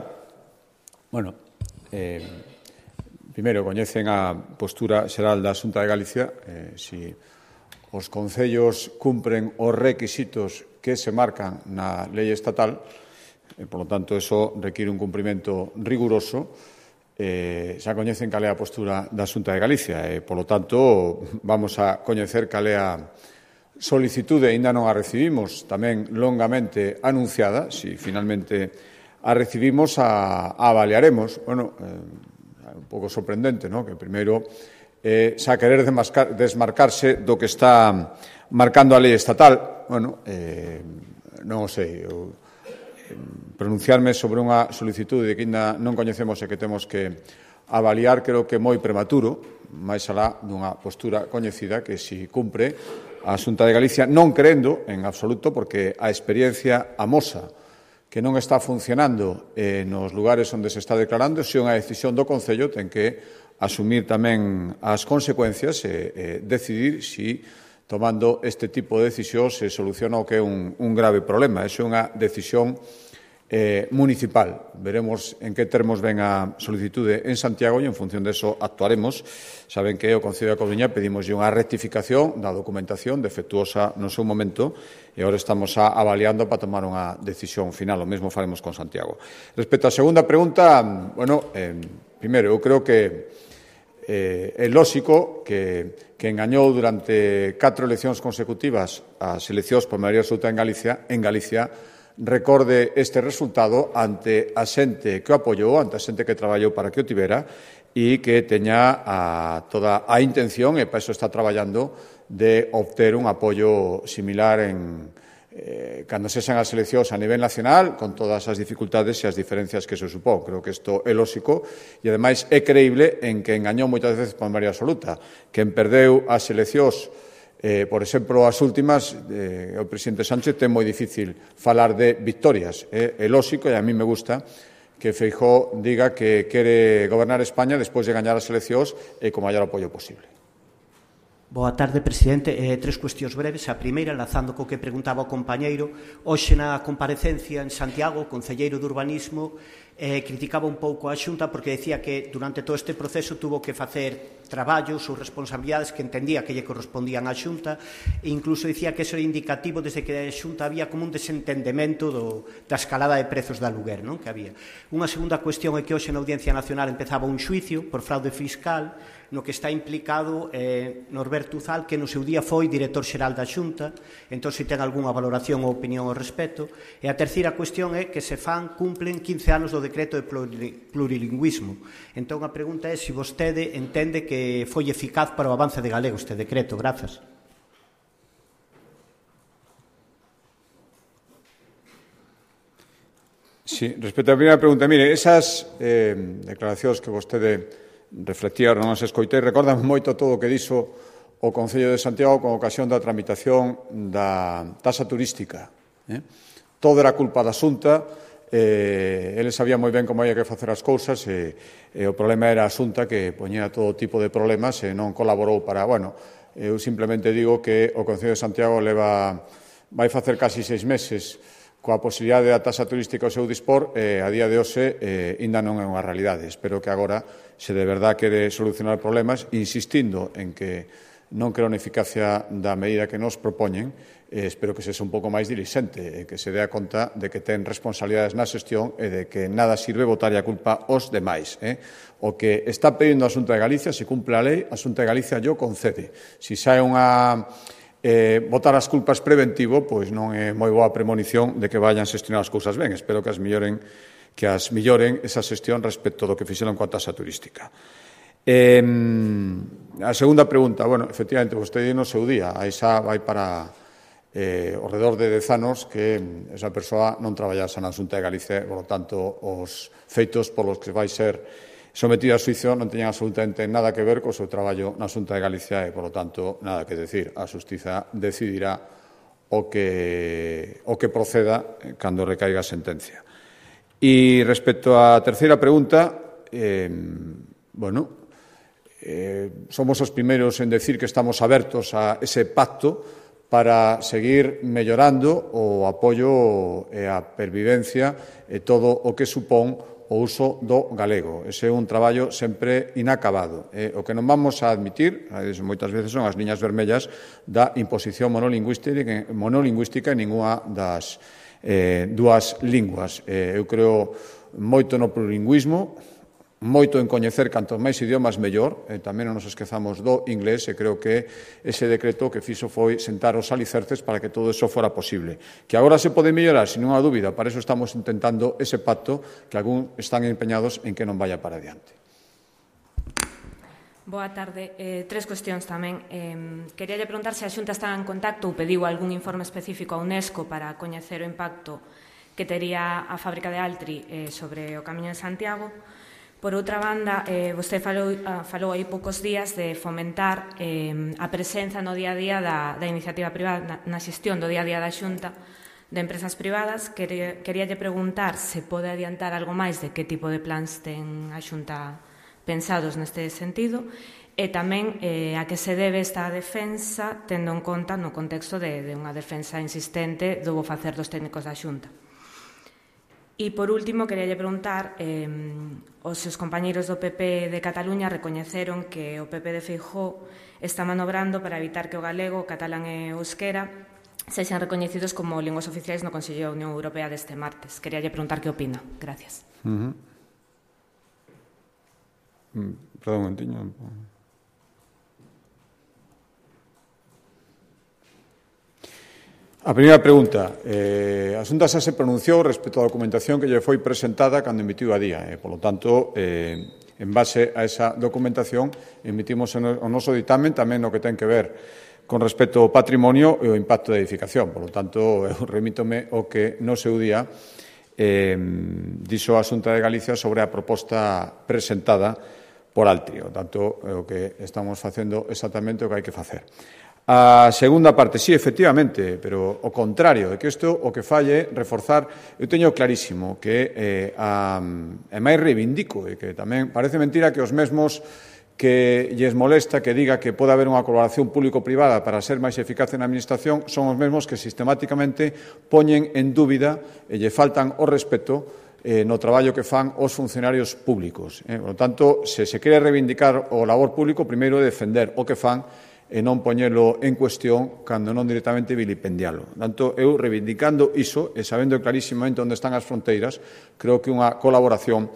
bueno, eh, primeiro, coñecen a postura xeral da Xunta de Galicia, eh, si os concellos cumpren os requisitos que se marcan na lei estatal, e, por lo tanto, eso require un cumprimento riguroso. Eh, xa coñecen cal é a postura da Xunta de Galicia e, por lo tanto, vamos a coñecer cal é a solicitude, aínda non a recibimos, tamén longamente anunciada. Si finalmente a recibimos, a, a avaliaremos. Bueno, eh, un pouco sorprendente, ¿no?, que primeiro eh, xa querer desmarcar, desmarcarse do que está marcando a lei estatal. Bueno, eh, non o sei, eu, eh, pronunciarme sobre unha solicitude de que ainda non coñecemos e que temos que avaliar, creo que é moi prematuro, máis alá dunha postura coñecida que si cumpre a Xunta de Galicia, non crendo en absoluto, porque a experiencia amosa que non está funcionando eh, nos lugares onde se está declarando. Se unha decisión do Concello, ten que asumir tamén as consecuencias e eh, decidir si, tomando este tipo de decisión, se soluciona o que é un, un grave problema. Esa é unha decisión eh, municipal. Veremos en que termos ven a solicitude en Santiago e en función de eso actuaremos. Saben que o Concello da Coruña pedimos unha rectificación da documentación defectuosa no seu momento e agora estamos a, avaliando para tomar unha decisión final. O mesmo faremos con Santiago. Respecto á segunda pregunta, bueno, eh, primeiro, eu creo que eh, é lóxico que, que engañou durante catro eleccións consecutivas as eleccións por maioría absoluta en Galicia, en Galicia, recorde este resultado ante a xente que o apoiou, ante a xente que traballou para que o tivera e que teña a, toda a intención, e para iso está traballando, de obter un apoio similar en, eh, cando sexan as eleccións a nivel nacional, con todas as dificultades e as diferencias que se supón. Creo que isto é lóxico e, ademais, é creíble en que engañou moitas veces por maioría absoluta. Quen perdeu as eleccións, Eh, por exemplo, as últimas, eh, o presidente Sánchez ten moi difícil falar de victorias. Eh, é lóxico, e a mí me gusta, que Feijóo diga que quere gobernar España despois de gañar as eleccións e co maior apoio posible. Boa tarde, presidente. Eh, tres cuestións breves. A primeira, enlazando co que preguntaba o compañeiro, hoxe na comparecencia en Santiago, o concelleiro de Urbanismo eh, criticaba un pouco a Xunta porque decía que durante todo este proceso tuvo que facer traballos ou responsabilidades que entendía que lle correspondían á Xunta e incluso dicía que eso era indicativo desde que a Xunta había como un desentendemento do, da escalada de prezos da aluguer, non? Que había. Unha segunda cuestión é que hoxe na Audiencia Nacional empezaba un xuicio por fraude fiscal no que está implicado eh, Norberto Uzal, que no seu día foi director xeral da Xunta, entón se ten algunha valoración ou opinión ao respecto. E a terceira cuestión é que se fan, cumplen quince anos do decreto de plurilingüismo. Entón a pregunta é se vostede entende que foi eficaz para o avance de galego este decreto. Grazas. Sí, respecto á primeira pregunta, mire, esas eh, declaracións que vostede reflectía, non as escoitei, recordan moito todo o que dixo o Concello de Santiago con ocasión da tramitación da taxa turística. Eh? Todo era culpa da Xunta, eh, eles sabían moi ben como había que facer as cousas e, e o problema era a Xunta que poñía todo tipo de problemas e non colaborou para... Bueno, eu simplemente digo que o Concello de Santiago leva, vai facer casi seis meses coa posibilidade da taxa turística ao seu dispor, eh, a día de hoxe eh, ainda non é unha realidade. Espero que agora, se de verdad quere solucionar problemas, insistindo en que non creo na eficacia da medida que nos propoñen, eh, espero que sexa un pouco máis dilixente, e que se dea conta de que ten responsabilidades na xestión e de que nada sirve botar a culpa aos demais. Eh? O que está pedindo a Xunta de Galicia, se cumple a lei, a Xunta de Galicia yo concede. Si sae unha... Eh, botar as culpas preventivo, pois non é moi boa premonición de que vayan xestionar as cousas ben. Espero que as melloren, que as melloren esa xestión respecto do que fixeron coa taxa turística. Eh, a segunda pregunta, bueno, efectivamente, vostede no seu día, aí xa vai para eh, ao redor de dez anos que esa persoa non traballase na Xunta de Galicia, por lo tanto, os feitos polos que vai ser sometida a xuizo non teñan absolutamente nada que ver co seu traballo na Xunta de Galicia e, por lo tanto, nada que decir. A xustiza decidirá o que, o que proceda cando recaiga a sentencia. E respecto á terceira pregunta, eh, bueno, eh, somos os primeiros en decir que estamos abertos a ese pacto para seguir mellorando o apoio e a pervivencia e todo o que supón o uso do galego. Ese é un traballo sempre inacabado. Eh, o que non vamos a admitir, moitas veces son as liñas vermellas da imposición monolingüística, monolingüística en ninguna das eh, dúas linguas. Eh, eu creo moito no plurilingüismo, moito en coñecer cantos máis idiomas mellor, e tamén non nos esquezamos do inglés, e creo que ese decreto que fixo foi sentar os alicerces para que todo eso fora posible. Que agora se pode mellorar, sin unha dúbida, para eso estamos intentando ese pacto que algún están empeñados en que non vaya para adiante. Boa tarde. Eh, tres cuestións tamén. Eh, quería lle preguntar se a Xunta está en contacto ou pediu algún informe específico a UNESCO para coñecer o impacto que tería a fábrica de Altri eh, sobre o Camiño de Santiago. Por outra banda, eh, vostede falou, uh, falou aí poucos días de fomentar eh, a presenza no día a día da, da iniciativa privada, na, na xestión do día a día da Xunta de empresas privadas. Quería, queríalle preguntar se pode adiantar algo máis de que tipo de plans ten a Xunta pensados neste sentido e tamén eh, a que se debe esta defensa tendo en conta no contexto de, de unha defensa insistente do bo facer dos técnicos da Xunta. E, por último, quería preguntar, eh, os seus compañeiros do P P de Cataluña recoñeceron que o P P de Feijóo está manobrando para evitar que o galego, o catalán e o euskera sexan recoñecidos como linguas oficiais no Consello da Unión Europea deste martes. Quería preguntar que opina. Gracias. Uh -huh. Perdón, un momentiño. A primeira pregunta, eh, a Xunta xa se pronunciou respecto á documentación que lle foi presentada cando emitiu a día. Eh, polo tanto, eh, en base a esa documentación, emitimos o noso ditamen tamén no que ten que ver con respecto ao patrimonio e o impacto da edificación. Polo tanto, eu remítome o que no seu día eh, dixo a Xunta de Galicia sobre a proposta presentada por Altri. Por tanto, é o que estamos facendo exactamente o que hai que facer. A segunda parte, sí, efectivamente, pero o contrario, é que isto o que falle reforzar, eu teño clarísimo que eh, a, e máis reivindico, e que tamén parece mentira que os mesmos que lles molesta que diga que pode haber unha colaboración público-privada para ser máis eficaz na administración son os mesmos que sistemáticamente poñen en dúbida e lle faltan o respeto eh, no traballo que fan os funcionarios públicos. Eh. Por lo tanto, se se quere reivindicar o labor público, primeiro é defender o que fan e non poñelo en cuestión cando non directamente vilipendialo. Tanto, eu reivindicando iso e sabendo clarísimamente onde están as fronteiras, creo que unha colaboración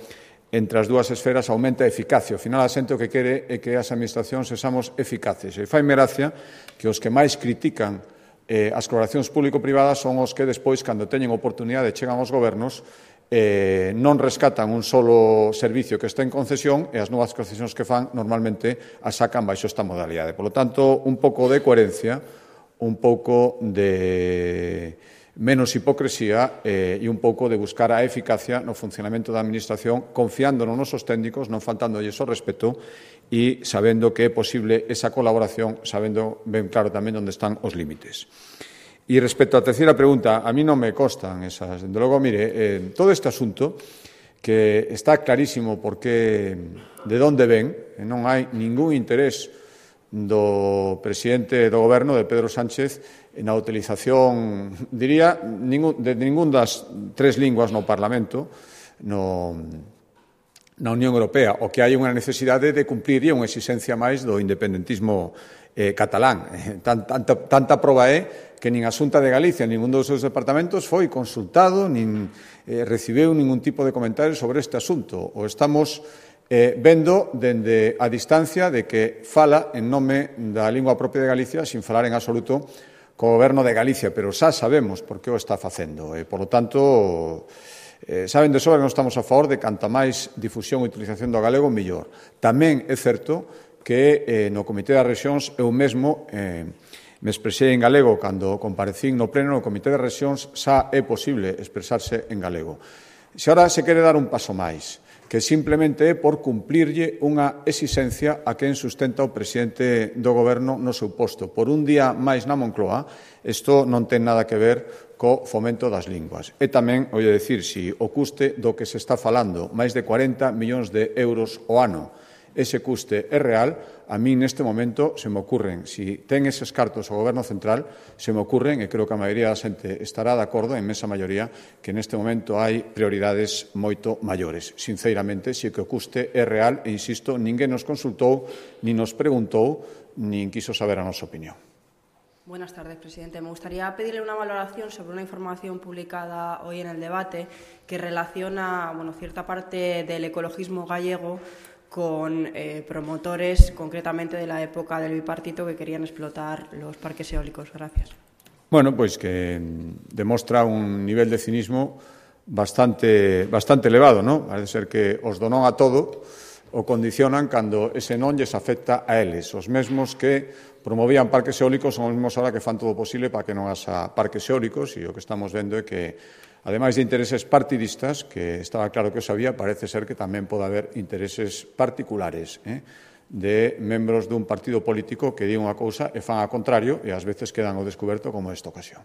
entre as dúas esferas aumenta a eficacia. Ao final, a xente o que quere é que as administracións sexamos eficaces. E faime gracia que os que máis critican eh, as colaboracións público-privadas son os que despois, cando teñen oportunidade, chegan aos gobernos, Eh, non rescatan un solo servicio que está en concesión e as novas concesións que fan normalmente as sacan baixo esta modalidade. Por lo tanto, un pouco de coherencia, un pouco de menos hipocresía eh, e un pouco de buscar a eficacia no funcionamento da Administración, confiando nos nosos técnicos, non faltándolles o respeto e sabendo que é posible esa colaboración, sabendo ben claro tamén onde están os límites. E respecto á terceira pregunta, a mí non me constan esas. Dende logo, mire, eh, todo este asunto que está clarísimo porque de onde ven, e non hai ningún interés do presidente do goberno, de Pedro Sánchez, na utilización, diría, ningún, de ningún das tres linguas no Parlamento, no, na Unión Europea, o que hai unha necesidade de cumplir e unha exigencia máis do independentismo eh, catalán. Eh, tan, tanta, tanta proba é que nin a Xunta de Galicia, nin ningún dos seus departamentos foi consultado, nin eh, recibeu ningún tipo de comentario sobre este asunto. O estamos eh, vendo dende a distancia de que fala en nome da lingua propia de Galicia, sin falar en absoluto co Goberno de Galicia, pero xa sabemos por que o está facendo. E, por lo tanto, eh, saben de sobra que non estamos a favor de canta máis difusión e utilización do galego, mellor. Tamén é certo que eh, no Comité das Rexións eu mesmo eh, me expresei en galego cando comparecín no pleno no Comité de Rexións, xa é posible expresarse en galego. Se agora se quere dar un paso máis, que simplemente é por cumplirlle unha exixencia a quen sustenta o presidente do goberno no seu posto. Por un día máis na Moncloa, isto non ten nada que ver co fomento das linguas. E tamén, oulle dicir, si o custe do que se está falando, máis de corenta millóns de euros ao ano, ese custe é real, a mí neste momento se me ocurren, si ten eses cartos o Goberno Central, se me ocurren, e creo que a maioría da xente estará de acordo, en esa maioría, que neste momento hai prioridades moito maiores. Sinceramente, si que o custe é real, e insisto, ninguén nos consultou, ni nos preguntou, nin quiso saber a nosa opinión. Buenas tardes, presidente. Me gustaría pedirle una valoración sobre una información publicada hoy en el debate que relaciona, bueno, cierta parte del ecologismo gallego con eh, promotores, concretamente de la época del bipartito, que querían explotar los parques eólicos. Gracias. Bueno, pois que demostra un nivel de cinismo bastante, bastante elevado, ¿no? Parece ser que os donon a todo o condicionan cando ese non lles afecta a eles. Os mesmos que promovían parques eólicos son os mesmos ahora que fan todo o posible para que non haxa parques eólicos, e o que estamos vendo é que, ademais de intereses partidistas, que estaba claro que o sabía, parece ser que tamén pode haber intereses particulares eh, de membros dun partido político que di unha cousa e fan a contrario e ás veces quedan ao descoberto como esta ocasión.